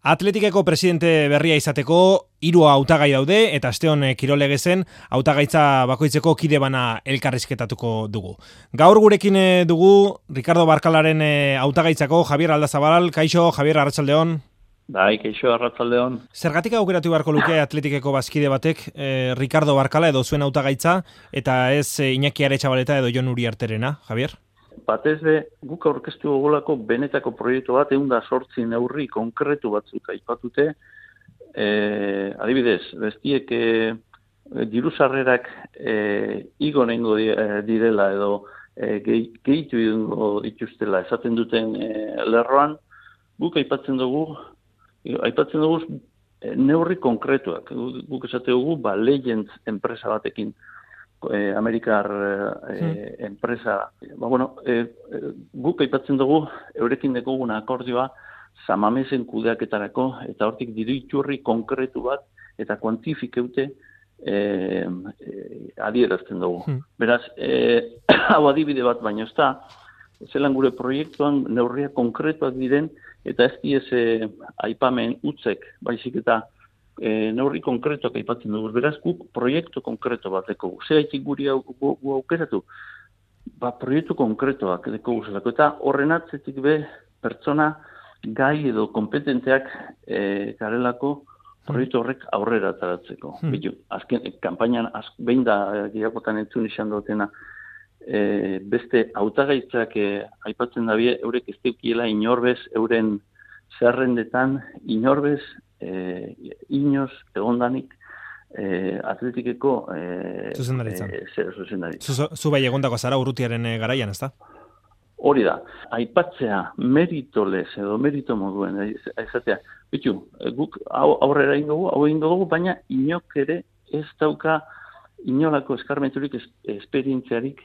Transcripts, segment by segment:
Atletikeko presidente berria izateko 3 hautagai daude eta asteon Kirolegezen hautagaitza bakoitzeko kide bana elkarrizketatuko dugu. Gaur gurekin dugu Ricardo Barkalaren hautagaitzako Javier Aldazabal. Kaixo, Javier, arratsaldeon. Bai, kaixo, arratsaldeon. Zergatik aukeratu beharko luke Atletikeko bazkide batek Ricardo Barkala edo zuen hautagaitza eta ez Iñaki Aretxabaleta edo Jon Uriarterena, Javier? Batez be, guk aurkeztu gogolako benetako proiektu bat 108 neurri konkretu batzuk aipatute. Adibidez, bestiek diru sarrerak igo nengo direla edo gehitu egingo dituztela esaten duten lerroan, guk aipatzen dugu neurri konkretuak. Guk esate dugu, Legends enpresa batekin, Amerikar enpresa. Guk aipatzen dugu, eurekin dekoguna akordioa, Samamesen kudeaketarako, eta hortik diru iturri konkretu bat, eta kuantifikeute adierazten dugu. Beraz, hau adibide bat baino ez da, zelan gure proiektuan neurria konkretuak diren, eta ez diez aipamen utzek, baizik eta neurri konkretuak aipatzen dugu. Beraz, guk proiektu konkretu bat dekogu. Zeraitik guri aukeratu? Proiektu konkretuak dekogu zelako. Eta horren atzetik be pertsona gai edo kompetenteak garelako proiektu horrek aurrera ataratzeko. Azken, kampainan behin da girakotan entzun izan dutena, beste hautagaitzak aipatzen dabie, eurek ez deukiela inorbez, euren zerrendetan inorbez, inoz egondanik Atletikeko zuzendaritza. Zu bai egondako zara Urrutiaren garaian, ezta? Hori da, aipatzea meritolez edo merito moduen, ezatea, guk aurrera ingo dugu, baina inok ere ez dauka inolako eskarmenturik esperientziarik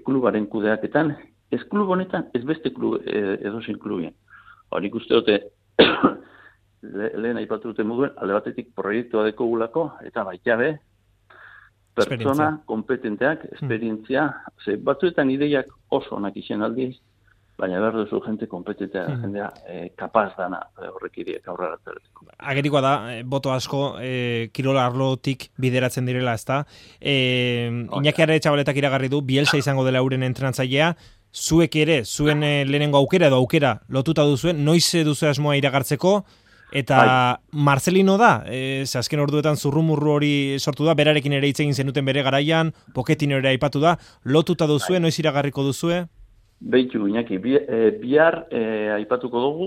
klubaren kudeaketan, ez klub honetan, ez beste klub edozein klubien. Horik uste dute, lehen aipatu dute moduen, alde batetik proiektua dekogulako, eta baita be, pertsona kompetenteak, esperientzia, batzuetan ideiak oso onak izan aldiz, baina behar duzu jente kompetentea, jendea kapaz dana horrek ideak aurrera ateratzeko. Agerikoa da, boto asko kirola arlotik bideratzen direla, ezta? Iñaki Aretxabaletak iragarri du, Bielsa izango dela euren entrenatzailea, zuek ere, zuen lehenengo aukera edo aukera lotuta duzuen, noiz duzu asmoa iragartzeko, eta Marcelino da, azken orduetan zurrumurru hori sortu da, berarekin ere hitz egin zenuten bere garaian, Pochettino ere aipatu da, lotuta duzue, noiz iragarriko duzue? Beitu, Iñaki, bihar aipatuko dugu,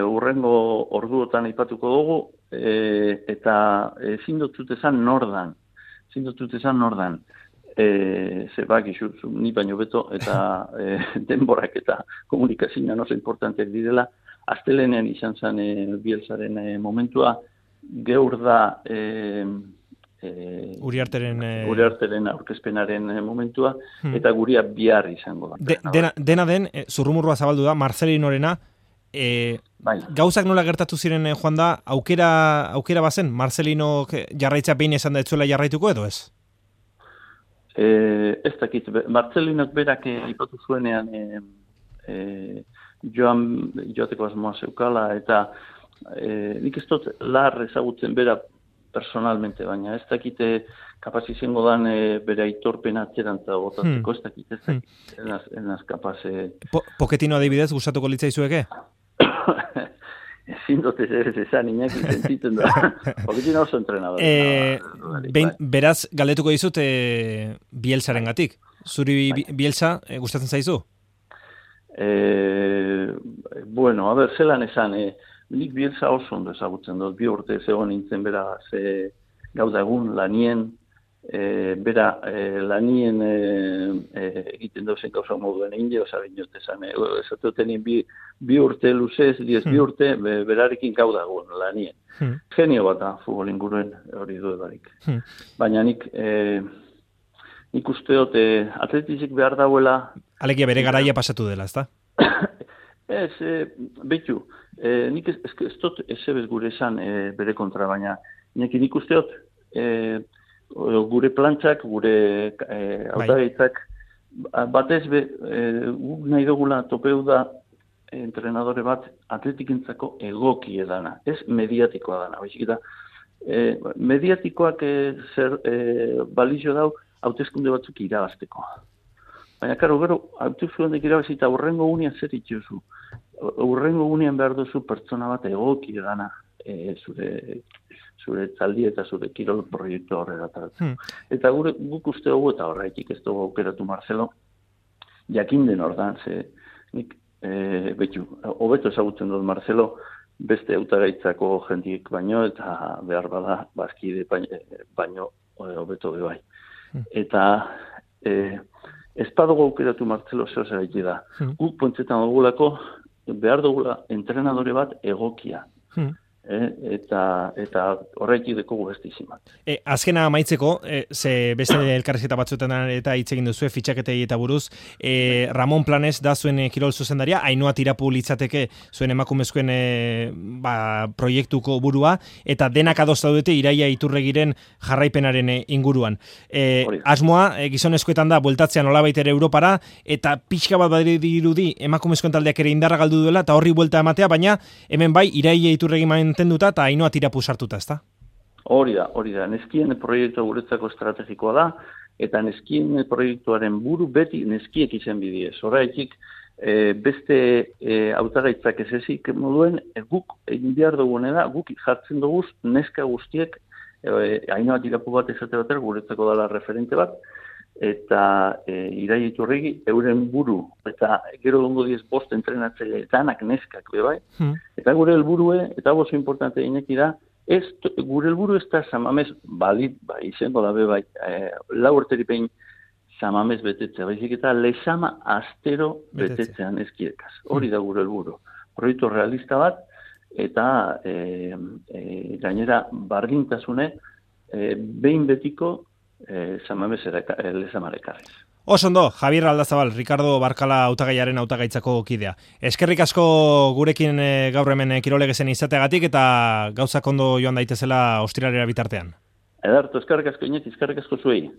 urrengo orduotan aipatuko dugu, eta ezin dut esan nordan. Zebak izu, ni baino beto, eta denborak eta komunikazioa oso importanteak direla. Astelenean izan zen Bielsaren momentua, geur da Uriarteren aurkezpenaren momentua, eta guria bihar izango da. Dena den, zurrumurrua zabaldu da, Marcelinorena, gauzak nola gertatu ziren joan da, aukera bazen, Marcelino jarraitza behin esan da etzuela jarraituko edo ez? Ez dakit, Marcelinok berak aipatu zuenean joateko asmoa zeukala, eta nik ez dut lar ezagutzen bera personalmente, baina ez dakite kapaz izango dan bere aitorpena atzerantza botatzeko, ez dakit, enaz kapaz... Pochettino adibidez, gustatuko litzaizueke? Ezin dut ez esan, Iñaki sentitzen da. Pochettino oso entrenador. Beraz, galdetuko dizut Bielsaren gatik. Zuri Bielsa gustatzen zaizu? Bueno, a ber, zelan esan, nik Bielsa oso ondo ezagutzen dut, 2 urte zegoen nintzen bera gauda egun lanien, bera lanien egiten dauzen gauza moduen egin jo, zabein jot esan, esateotenien 2 urte luzez, 2 urte, berarekin gauda egun lanien. Genio bat da, futbol inguruen hori duedarik. Baina nik usteot atletizik behar dauela... Alegia bere garaia pasatu dela, ezta? Ez, behitu, nik ez dut ezebez gure esan bere kontra, baina nik usteot gure plantzak, gure hautagaitzak, batez guk nahi dugula topeu da entrenadore bat atletikentzako egoki edana, ez mediatikoa dana. Baizik eta mediatikoak balizio dau hauteskunde batzuk irabazteko. Baina, karo, gero, hauteskundeak irabazi eta hurrengo gunean zer itxuzu. Hurrengo gunean behar duzu pertsona bat egoki edana zure taldi eta zure kirol proiektu horrela taratzen. Eta guk uste dugu eta horretik ez dugu aukeratu Marcelo, jakin den ordan, ze nik hobeto ezagutzen dut Marcelo, beste hautagaitzako jendiek baino, eta behar bada bazkide baino hobeto bai. Eta ez badugu aukeratu Marcelo zehose gaiti da. Guk pontzetan dugulako behar dugula entrenadore bat egokia. Eta horretik dekogu bestizimat. Azkena amaitzeko, ze beste elkarrizketa batzuetan eta hitz egin duzu, fitxaketei eta buruz, Ramon Planes da zuen kirol zuzendaria, Ainhoa Tirapu litzateke zuen emakumezkoen proiektuko burua, eta denak adosta dute Iraia Iturregiren jarraipenaren inguruan. Asmoa, gizonezkoetan da, bueltatzean nolabait ere Europara, eta pixka bat badirudi emakumezkoen taldeak ere indarra galdu duela, eta horri buelta ematea, baina hemen bai, Iraia Iturregi mantenduta eta Ainhoa Tirapu sartuta, ezta? Hori da. Neskien proiektua guretzako estrategikoa da, eta neskien proiektuaren buru beti neskiek izen bidiez. Horretik, beste hautagaitzak ez ezik moduen, guk egin behar dugunera, guk jartzen dugu neska guztiek, Ainhoa Tirapu bat esate batera guretzako dela referente bat, eta Iraia Iturregi euren buru, eta gero dongo 5 entrenatzaile danak neskak bebai, eta gure helburue, eta oso importante ineki da, gure helburu ez da Samamez balit, izango da bebai, 4 urteripein Samamez betetzea, baizik eta Lezama astero betetzean eskiekaz. Hori da gure helburu. Proiektu realista bat, eta gainera bardintasune, behin betiko Samamez Lezamarekarriz. Osondo, Javier Aldazabal, Ricardo Barkala hautagaiaren hautagaitzako kidea. Eskerrik asko gurekin gaur hemen kirolegezen izateagatik eta gauzak ondo joan daitezela ostiralera bitartean. Edarto, eskerrik asko Iñaki, eskerrik asko zuei.